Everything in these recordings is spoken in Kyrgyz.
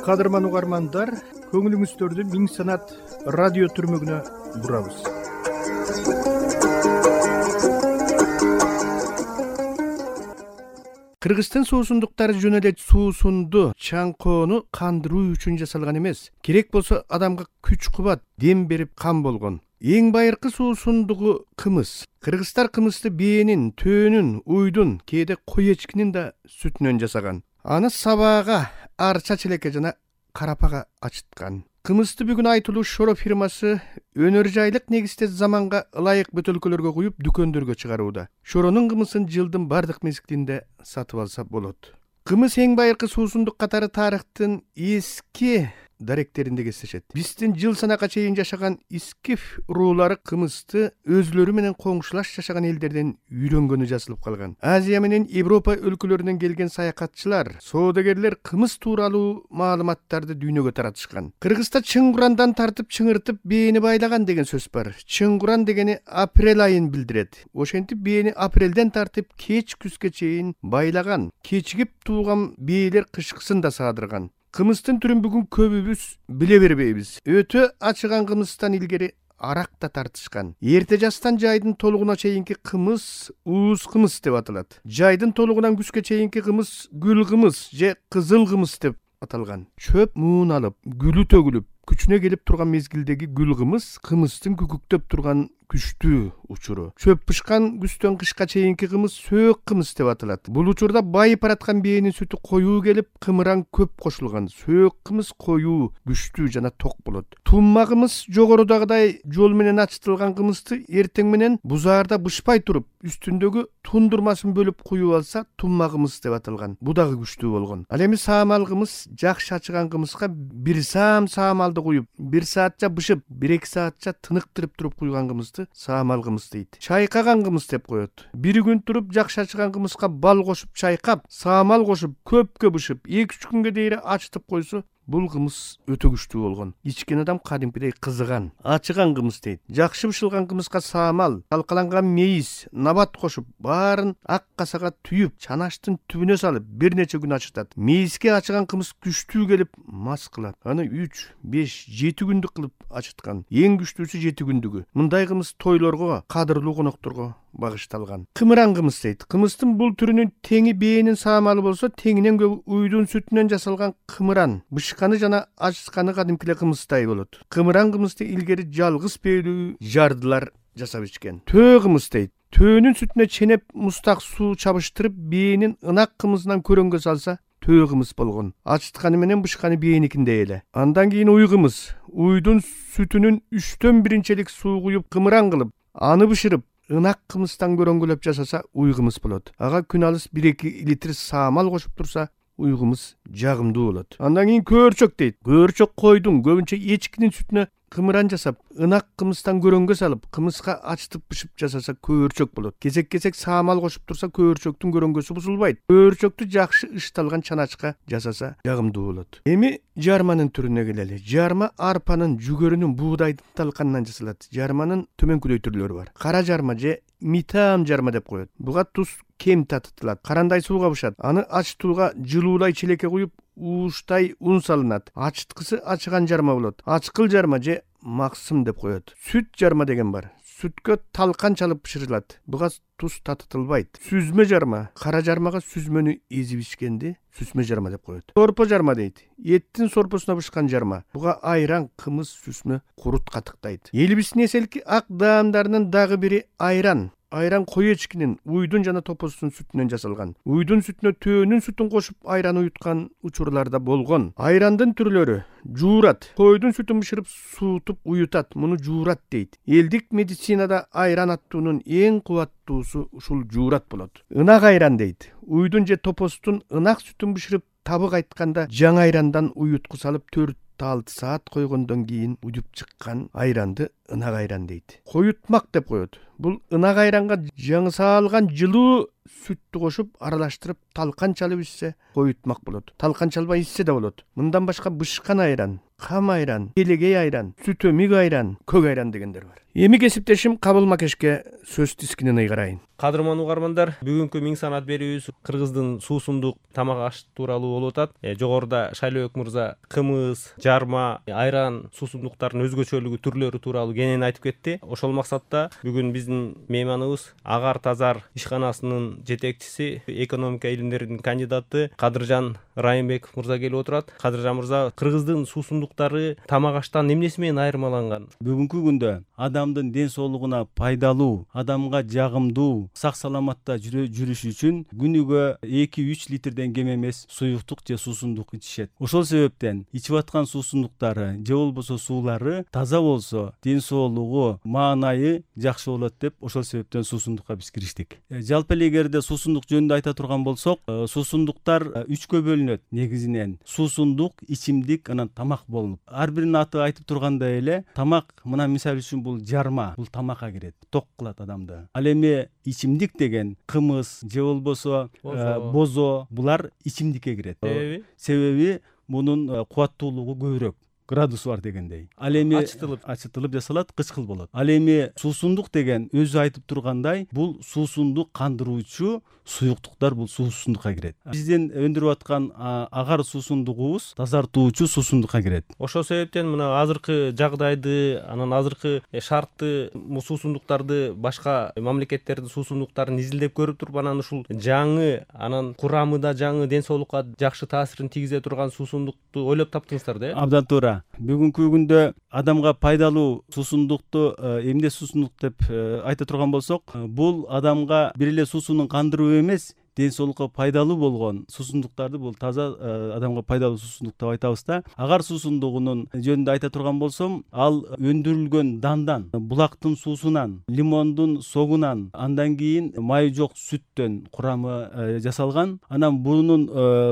Кадырман угармандар, көңүлүңүздөрдү Миң Санат радио түрмөгүнө бурабыз. Кыргызстан суусундуктары жөн эле суусунду чаңкоону кандыруу үчүн жасалган эмес. Керек болсо адамга күч кубат, дем берип кан болгон. Эң байыркы суусундугу кымыз. Кыргыздар кымызды бээнин, төөнүн, уйдун, кээде кой эчкинин да сүтүнөн жасаган. Аны сабаага, арча челекке жана карапага ачыткан. Кымызды бүгүн айтылуу Шоро фирмасы өнөр жайлык негизде заманга ылайык бөтөлкөлөргө куюп дүкөндөргө чыгарууда. Шоронун кымызын жылдын бардык мезгилинде сатып алса болот. Кымыз эң байыркы суусундук катары тарыхтын эски даректеринде кездешет. Биздин жыл санакка чейин жашаган искиф руулары кымызды өзүлөрү менен коңшулаш жашаган элдерден үйрөнгөнү жазылып калган. Азия менен Европа өлкөлөрүнөн келген саякатчылар, соодагерлер кымыз тууралуу маалыматтарды дүйнөгө таратышкан. Кыргызда Чыңгурандан тартып чыңыртып бээни байлаган деген сөз бар. Чыңгуран дегени апрель айын билдирет. Ошентип бээни апрелден тартып кеч күзгө чейин байлаган. Кечигип тууган бээлер кышкысын да саадырган. Кымыздын түрүн бүгүн көбүбүз биле бербейбиз. Өтө ачыган кымыздан илгери арак да тартышкан. Эрте жастан жайдын толугуна чейинки кымыз ууз кымыз деп аталат. Жайдын толугунан күзгө чейинки кымыз гүл кымыз же кызыл кымыз деп аталган. Чөп муун алып, гүлү төгүлүп, күчүнө келип турган мезгилдеги гүл кымыз кымыздын күкүктөп турган күчтүү учуру. Чөп бышкан күздөн кышка чейинки кымыз сөөк кымыз деп аталат. Бул учурда байып бараткан бээнин сүтү коюу келип, кымыран көп кошулган. Сөөк кымыз коюу, күчтүү жана ток болот. Тумма кымыз жогорудагыдай жол менен ачытылган кымызды эртең менен бузаарда бышпай туруп, үстүндөгү тундурмасын бөлүп куюп алса, тумма кымыз деп аталган. Бу дагы күчтүү болгон. Ал эми саамал кымыз жакшы ачыган кымызга бир саам саамалды куюп, 1 саатча бышып, 1-2 саатча тыныктырып туруп куйган кымызды саамал кымыз дейт. Чайкаган кымыз деп коет. 1 күн туруп жакшы ачыган кымызга бал кошуп чайкап, саамал кошуп, көпкө бышып, 2-3 күнгө дейин ачытып койсо, бул кымыз өтө күчтүү болгон. Ичкен адам кадимкидей кызыган. Ачыган кымыз дейт. Жакшы бышылган кымызга саамал, талкаланган мейиз, набат кошуп, баарын ак касага түйүп, чанаштын түбүнө салып, бир нече күн ачытат. Мейизге ачыган кымыз күчтүү келип мас кылат. Аны 3, 5, 7 күндүк кылып ачыткан. Эң күчтүүсү 7 күндүгү. Мындай кымыз тойлорго, кадырлуу конокторго багышталган. Кымыран кымыз дейт. Кымыздын бул түрүнүн теңи бээнин саамалы болсо, теңинен көп уйдун сүтүнөн жасалган кымыран. Бышканы жана ачытканы кадимкиле кымыздай болот. Кымыран кымызды илгери жалгыз бээлүү жардылар жасап ичкен. Төө кымыз дейт. Төөнүн сүтүнө ченеп мустак суу чабыштырып, бээнин ынак кымызынан көрөнгө салса, төө кымыз болгон. Ачытканы менен бышканы бээникиндей эле. Андан кийин уй кымыз. Уйдун сүтүнүн 3төн 1-челик суу куюп, кымыран кылып, аны бышырып, ынак кымыздан көрөнгөлөп жасаса, уй кымыз болот. Ага күн алыс 1-2 литр саамал кошуп турса, уй кымыз жагымдуу болот. Андан кийин көөрчөк дейт. Көөрчөк койдун, көбүнчө эчкинин сүтүнө кымыран жасап, ынак кымыздан көрөнгө салып, кымызга ачытып бышып жасаса көөрчөк болот. Кезек-кезек саамал кошуп турса, көөрчөктүн көрөнгөсү бузулбайт. Көөрчөктү жакшы ышталган чаначка жасаса жагымдуу болот. Эми жарманын түрүнө келели. Жарма арпанын, жүгөрүнүн, буудайдын талканынан жасалат. Жарманын төмөнкүдөй түрлөрү бар. Кара жарма же митам жарма деп коет. Буга туз кем татытылат. Карандай сууга бышат. Аны ачытууга жылуулай челекке куюп, ууштай ун салынат. Ачыткысы ачыган жарма болот. Ачкыл жарма же максым деп коет. Сүт жарма деген бар. Сүткө талкан чалып бышырылат. Буга туз татытылбайт. Сүзмө жарма. Кара жармага сүзмөнү эзип ичкенди сүзмө жарма деп коет. Сорпо жарма дейт. Эттин сорпосуна бышкан жарма. Буга айран, кымыз, сүзмө, курут катыктайт. Элибиздин эселки ак даамдарынын дагы бири айран. Айран кой эчкинин, уйдун жана топостун сүтүнөн жасалган. Уйдун сүтүнө төөнүн сүтүн кошуп айран уюткан учурларда болгон. Айрандын түрлөрү: жуурат. Койдун сүтүн бышырып суутуп уютат. Муну жуурат дейт. Элдик медицинада айран аттуунун эң кубаттуусу ушул жуурат болот.Ынак айран дейт. Уйдун же топостун ынак сүтүн бышырып табык айтканда жаңы айрандан уютку салып 4-6 саат койгондон кийин уюп чыккан айранды ынак айран дейт. Коютмак деп коет. Бул ынак айранга жаңы саалган жылуу сүттү кошуп аралаштырып талкан чалып ичсе коютмак болот. Талкан чалбай ичсе да болот. Мындан башка бышкан айран, кам айран, келегей айран, сүт өмүк айран, көк айран дегендер бар. Эми кесиптешим Кабыл Макешке сөз тискинин ыйгарайын. Кадырман угармандар, бүгүнкү Миң санат берүүбүз Кыргыздын суусундук тамак аш тууралуу болуп атат. Жогоруда Шайлообек мырза кымыз, жарма, айран суусундуктардын өзгөчөлүгү, түрлөрү тууралуу кенен айтып кетти. Ошол максатта бүгүн биздин мейманыбыз Агар Тазар ишканасынын жетекчиси, экономика илимдеринин кандидаты Кадыржан Райымбеков мырза келип отурат. Кадыржан мырза, Кыргыздын суусундуктары тамак аштан эмнеси менен айырмаланган? Бүгүнкү күндө адамдын ден соолугуна пайдалуу, адамга жагымдуу, сак саламатта жүрүш үчүн күнүгө 2-3 литрден кем эмес суюктук же суусундук ичишет. Ошол себептен ичип аткан суусундуктары же болбосо суулары таза болсо, ден соолугу, маанайы жакшы болот деп ошол себептен суусундукка биз кириштик. Жалпы эле эгерде суусундук жөнүндө айта турган болсок, суусундуктар 3кө бөлүнөт. Негизинен суусундук, ичимдик, анан тамак болуп. Ар биринин аты айтып тургандай эле, тамак мына мисалы үчүн бул жарма, бул тамакка кирет, ток кылат адамды. Ал эми ичимдик деген кымыз же болбосо бозо, булар ичимдикке кирет. Себеби мунун кубаттуулугу көбүрөөк, градусу бар дегендей. Ал эми ачытылып жасалат, кычкыл болот. Ал эми суусундук деген өзү айтып тургандай, бул суусундук кандыруучу суюктуктар, бул суусундукка кирет. Биздин өндүрүп аткан агар суусундугубуз тазартуучу суусундукка кирет. Ошол себептен мына азыркы жагдайды, анан азыркы шартты суусундуктарды, башка мамлекеттердин суусундуктарын изилдеп көрүп туруп, анан ушул жаңы, анан курамы да жаңы, ден соолукка жакшы таасирин тийгизе турган суусундукту ойлоп таптыңыздар да? Абдан туура. Бүгүнкү күндө адамга пайдалуу суусундукту эмне суусундук деп айта турган болсок, бул адамга бир эле суусунун кандыруу эмес, ден соолукка пайдалуу болгон суусундуктарды, бул таза адамга пайдалуу суусундук деп айтабыз да. Агар суусундугунун жөнүндө айта турган болсом, ал өндүрүлгөн дандан, булактын суусунан, лимондун согунан, андан кийин майы жок сүттөн курамы жасалган. Анан бунун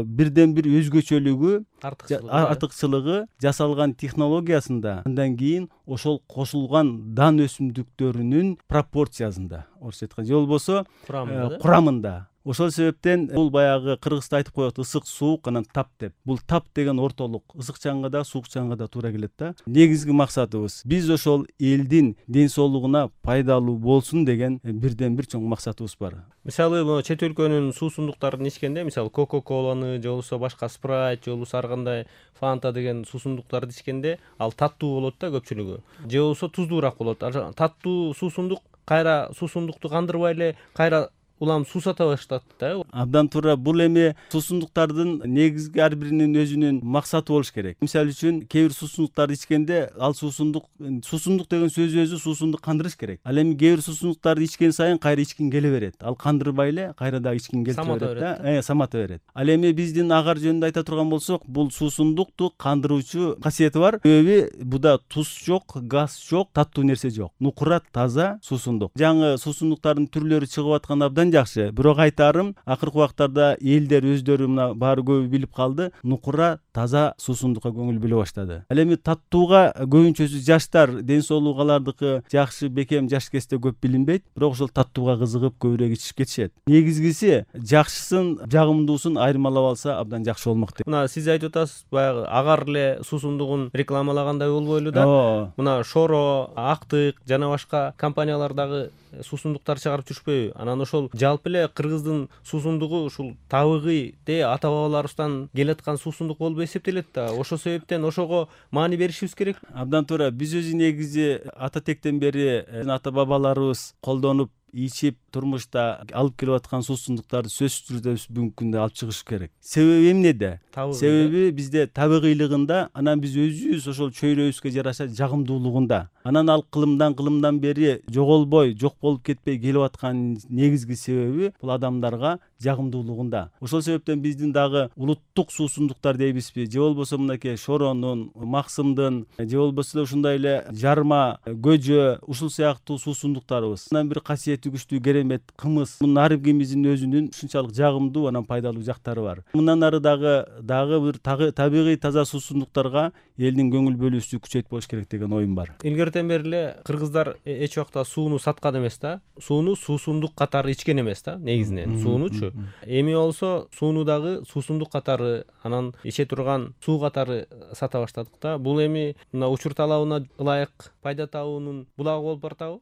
бирден бир өзгөчөлүгү, артыкчылыгы жасалган технологиясында, андан кийин ошол кошулган дан өсүмдүктөрүнүн пропорциясында, орусча айтканда, же болбосо курамында. Ошол себептен бул баягы кыргызда айтып коет, ысык, суук, анан тап деп. Бул тап деген ортолук, ысык чаңга да, суук чаңга да туура келет да. Негизги максатыбыз биз ошол элдин ден соолугуна пайдалуу болсун деген бирден бир чоң максатыбыз бар. Мисалы, чет өлкөнүн суусундуктарын ичкенде, мисалы Coca-Cola'ны же болбосо башка Sprite, же болбосо ар кандай Fanta деген суусундуктарды ичкенде, ал таттуу болот да көпчүлүгү. Же болбосо туздуураак болот. Таттуу суусундук кайра суусундукту кандырбай эле кайра улам суусата баштат да. Абдан туура. Бул эми суусундуктардын негизги ар биринин өзүнүн максаты болуш керек. Мисалы үчүн кээ бир суусундуктарды ичкенде, ал суусундук деген сөз өзү суусундук кандырыш керек. Ал эми кээ бир суусундуктарды ичкен сайын кайра ичкин келе берет. Ал кандырбай эле кайра дагы ичкин келе берет да. Самата берет. Ал эми биздин агар жөнүндө айта турган болсок, бул суусундукту кандыруучу касиети бар. Себеби буда туз жок, газ жок, таттуу нерсе жок. Нукура таза суусундук. Жаңы суусундуктардын түрлөрү чыгып аткан абдан жакшы. Бирок айтарым, акыркы убактарда элдер өздөрү мына баары көбү билип калды, нукура таза суусундукка көңүл бөлө баштады. Ал эми таттууга көбүнчөсү жаштар, ден соолугу алардыкы жакшы, бекем жаш кезде көп билинбейт, бирок ошол таттууга кызыгып көбүрөөк ичип кетишет. Негизгиси жакшысын, жагымдуусун айырмалап алса абдан жакшы болмок деп. Мына сиз айтып атасыз, баягы агар эле суусундугун рекламалагандай болбойлу да. Мына Шоро, Актык жана башка компаниялар дагы суусундуктар чыгарып жүрүшпөйбү? Анан ошол жалпы эле Кыргыздын суусундугу ушул табыгый ата бабаларыбыздан келаткан суусундук болуп эсептелет да. Ошол себептен ошого маани беришибиз керек. Абдан туура. Биз өзү негизи ата тектен бери ата бабаларыбыз колдонуп ичип турмушта алып келип аткан суусундуктарды сөзсүз түрдө бүгүнкү күндө алып чыгыш керек. Себеби эмнеде? Себеби бизде табыгыйлыгында, анан биз өзүбүз ошол чөйрөбүзгө жараша жагымдуулугунда. Анан ал кылымдан бери жоголбой, жок болуп кетпей келип аткан негизги себеби бул адамдарга жагымдуулугунда. Ошол себептен биздин дагы улуттук суусундуктар дейбизби, же болбосо мынакей Шоронун, Максымдын, же болбосо ушундай эле жарма, көжө, ушул сыяктуу суусундуктарыбыз. Анан бир касиети күчтүү керемет кымыз. Мунун ар бирибиздин өзүнүн ушунчалык жагымдуу, анан пайдалуу жактары бар. Мындан ары дагы бир табигый таза суусундуктарга элдин көңүл бөлүүсү күчөйт болуш керек деген оюм бар. Илгерте эртен бери эле кыргыздар эч убакта сууну саткан эмес да. Сууну суусундук катары ичкен эмес да, негизинен. Суунучу. Эми болсо сууну дагы суусундук катары, анан иче турган суу катары сата баштадык да. Бул эми мына учур талабына ылайык пайда табуунун булагы болуп баратабы?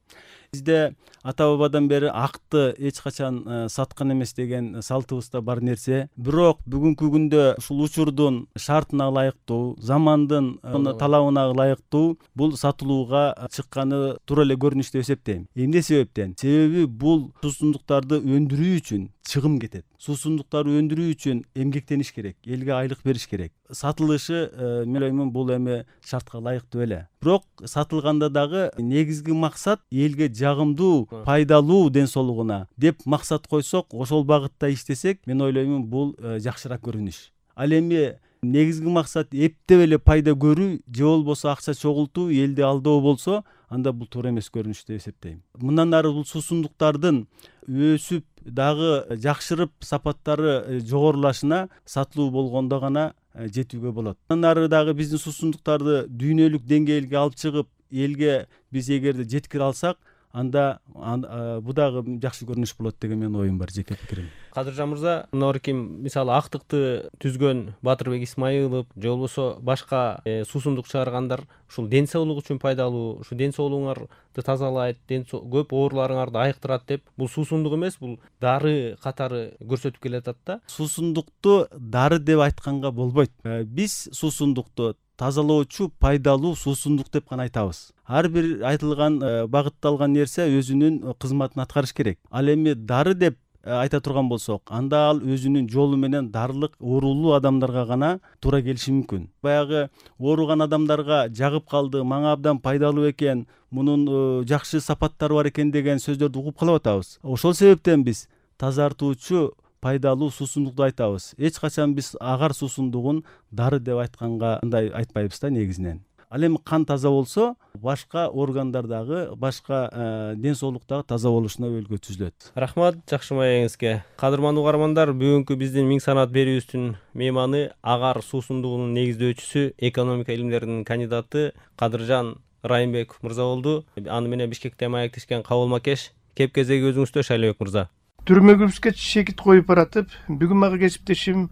Бизде ата бабадан бери акты эч качан саткан эмес деген салтыбызда бар нерсе. Бирок бүгүнкү күндө ушул учурдун шартына ылайыктуу, замандын талабына ылайыктуу бул сатылууга чыкканы туура эле көрүнүш деп эсептейм. Эмне себептен? Себеби бул суусундуктарды өндүрүү үчүн чыгым кетет. Суусундуктарды өндүрүү үчүн эмгектениш керек, элге айлык бериш керек. Сатылышы мен ойлоймун бул эми шартка ылайыктуу эле. Бирок сатылганда дагы негизги максат элге жагымдуу, пайдалуу ден соолугуна деп максат койсок, ошол багытта иштесек, мен ойлоймун бул жакшыраак көрүнүш. Ал эми негизги максат эптеп эле пайда көрүү же болбосо акча чогултуу, элди алдоо болсо, анда бул туура эмес көрүнүш деп эсептейм. Мындан ары бул суусундуктардын өсүп дагы жакшырып сапаттары жогорулашына сатылуу болгондо гана жетүүгө болот. Андан ары дагы биздин суусундуктарды дүйнөлүк деңгээлге алып чыгып, элге биз эгерде жеткире алсак, анда бул дагы жакшы көрүнүш болот деген менин оюм бар, жеке пикирим. Кадыржан мырза, мынаким мисалы актыкты түзгөн Батырбек Исмаилов же болбосо башка суусундук чыгаргандар ушул ден соолук үчүн пайдалуу, ушу ден соолугуңарды тазалайт, көп ооруларыңарды айыктырат деп, бул суусундук эмес, бул дары катары көрсөтүп келатат да. Суусундукту дары деп айтканга болбойт. Биз суусундукту тазалоочу пайдалуу суусундук деп гана айтабыз. Ар бир айтылган багытталган нерсе өзүнүн кызматын аткарыш керек. Ал эми дары деп айта турган болсок, анда ал өзүнүн жолу менен дарылык оорулуу адамдарга гана туура келиши мүмкүн. Баягы ооруган адамдарга жагып калды, мага абдан пайдалуу экен, мунун жакшы сапаттары бар экен деген сөздөрдү угуп калып атабыз. Ошол себептен биз тазартуучу пайдалуу суусундукту айтабыз. Эч качан биз агар суусундугун дары деп айтканга андай айтпайбыз да негизинен. Ал эми кан таза болсо, башка органдардагы, башка ден соолуктагы таза болушуна өбөлгө түзүлөт. Рахмат жакшы маегиңизге. Кадырман угармандар, бүгүнкү биздин Миң санаат берүүбүздүн мейманы агар суусундугунун негиздөөчүсү, экономика илимдеринин кандидаты Кадыржан Райымбеков мырза болду. Аны менен Бишкекте маектешкен Кабыл Макеш. Кеп кезеги өзүңүздө, Шайлообек мырза. Түрмөгүбүзгө чекит коюп баратып, бүгүн мага кесиптешим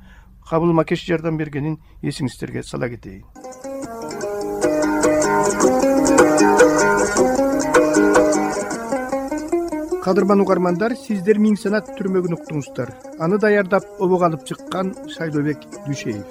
Кабыл Макеш жардам бергенин эсиңиздерге сала кетейин. Кадырман угармандар, сиздер Миң санаат түрмөгүн уктуңуздар. Аны даярдап, обого алып чыккан Шайлообек Дүйшеев.